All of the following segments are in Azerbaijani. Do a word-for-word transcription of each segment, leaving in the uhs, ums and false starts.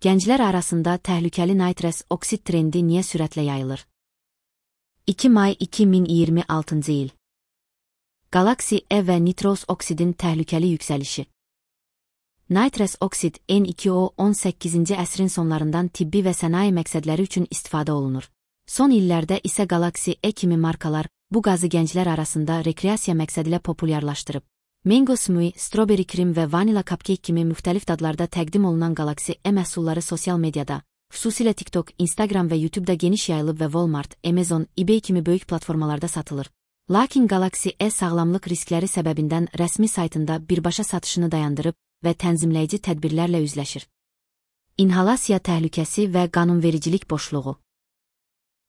Gənclər arasında təhlükəli nitrous oksid trendi niyə sürətlə yayılır? iki may iki min iyirmi altıncı il. Galaxy E və nitrous oksidin təhlükəli yüksəlişi. Nitrous oksid N iki O on səkkizinci əsrin sonlarından tibbi və sənaye məqsədləri üçün istifadə olunur. Son illərdə isə Galaxy E kimi markalar bu qazı gənclər arasında rekreasiya məqsədilə populyarlaşdırıb. Mango smoothie, strawberry krem və vanilla cupcake kimi müxtəlif dadlarda təqdim olunan Galaxy E məhsulları sosial mediada, xüsusilə TikTok, Instagram və YouTube-da geniş yayılıb və Walmart, Amazon, eBay kimi böyük platformalarda satılır. Lakin Galaxy E sağlamlıq riskləri səbəbindən rəsmi saytında birbaşa satışını dayandırıb və tənzimləyici tədbirlərlə üzləşir. İnhalasiya təhlükəsi və qanunvericilik boşluğu.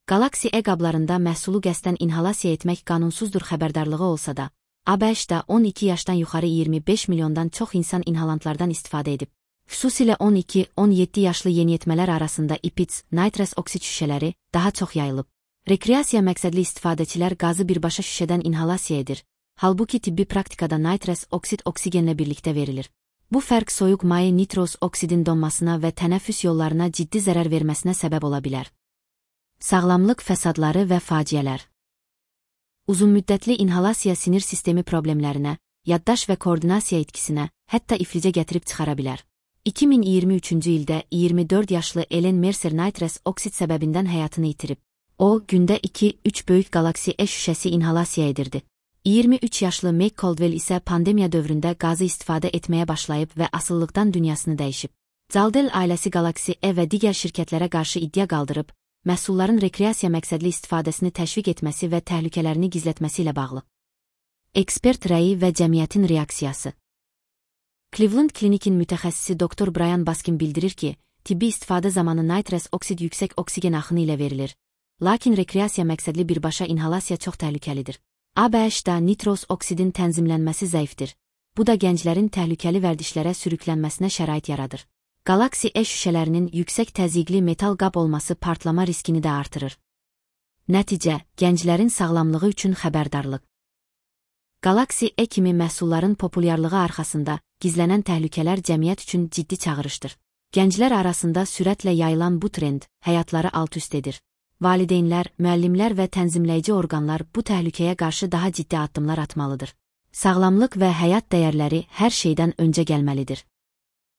Galaxy E qablarında məhsulu qəsdən inhalasiya etmək qanunsuzdur xəbərdarlığı olsa da, A B H-da on iki yaşdan yuxarı iyirmi beş milyondan çox insan inhalantlardan istifadə edib. Xüsusilə on iki on yeddi yaşlı yeniyetmələr arasında I P I T, nitrous oksid şüşələri daha çox yayılıb. Rekreasiya məqsədli istifadəçilər qazı birbaşa şüşədən inhalasiya edir, halbuki tibbi praktikada nitrous oksid oksigenlə birlikdə verilir. Bu fərq soyuq maye nitrous oksidin donmasına və tənəffüs yollarına ciddi zərər verməsinə səbəb ola bilər. Sağlamlıq fəsadları və faciələr. Uzunmüddətli inhalasiya sinir sistemi problemlərinə, yaddaş və koordinasiya itkisinə, hətta iflicə gətirib çıxara bilər. iki min iyirmi üçüncü ildə iyirmi dörd yaşlı Ellen Mercer nitrous oksid səbəbindən həyatını itirib. O, gündə iki üç böyük Galaxy E şüşəsi inhalasiya edirdi. iyirmi üç yaşlı Meg Caldwell isə pandemiya dövründə qazı istifadə etməyə başlayıb və asılılıqdan dünyasını dəyişib. Caldwell ailəsi Galaxy E və digər şirkətlərə qarşı iddia qaldırıb, məhsulların rekreasiya məqsədli istifadəsini təşviq etməsi və təhlükələrini gizlətməsi ilə bağlı. Ekspert rəyi və cəmiyyətin reaksiyası. Cleveland Clinic'in mütəxəssisi doktor Brian Baskin bildirir ki, tibbi istifadə zamanı nitrous oksid yüksək oksigen axını ilə verilir, lakin rekreasiya məqsədli birbaşa inhalasiya çox təhlükəlidir. A B H-da nitrous oksidin tənzimlənməsi zəifdir. Bu da gənclərin təhlükəli vərdişlərə sürüklənməsinə şərait yaradır. Galaxy E şüşələrinin yüksək təzyiqli metal qab olması partlama riskini də artırır. Nəticə, gənclərin sağlamlığı üçün xəbərdarlıq. Galaxy E kimi məhsulların populyarlığı arxasında gizlənən təhlükələr cəmiyyət üçün ciddi çağırışdır. Gənclər arasında sürətlə yayılan bu trend həyatları alt-üst edir. Valideynlər, müəllimlər və tənzimləyici orqanlar bu təhlükəyə qarşı daha ciddi addımlar atmalıdır. Sağlamlıq və həyat dəyərləri hər şeydən öncə gəlməlidir.